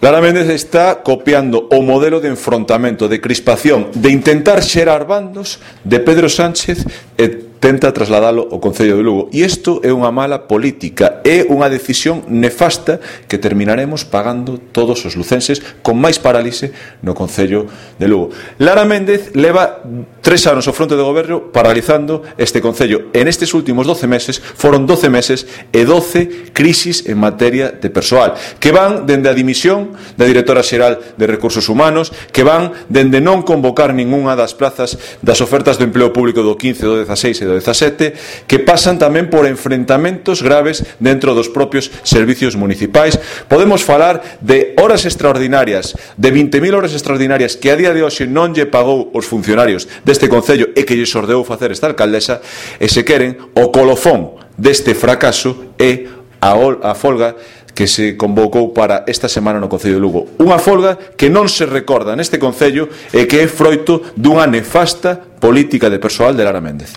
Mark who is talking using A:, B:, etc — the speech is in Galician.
A: Lara Méndez está copiando o modelo de enfrontamento, de crispación, de intentar xerar bandos de Pedro Sánchez e tenta trasladalo ao Concello de Lugo. E isto é unha mala política, é unha decisión nefasta que terminaremos pagando todos os lucenses con máis parálise no Concello de Lugo. Lara Méndez leva 3 anos ao fronte do goberno paralizando este Concello. En estes últimos 12 meses foron 12 meses e 12 crisis en materia de persoal, que van dende a dimisión da directora xeral de Recursos Humanos, que van dende non convocar ningunha das plazas das ofertas de empleo público do 15, do 16 e do 17, que pasan tamén por enfrentamentos graves dentro dos propios servicios municipais. Podemos falar de horas extraordinarias, de 20.000 horas extraordinarias que a día de hoxe non lle pagou os funcionarios deste Concello e que lle ordeou facer esta alcaldesa, e se queren, o colofón deste fracaso é a folga que se convocou para esta semana no Concello de Lugo. Unha folga que non se recorda neste Concello e que é froito dunha nefasta política de persoal de Lara Méndez.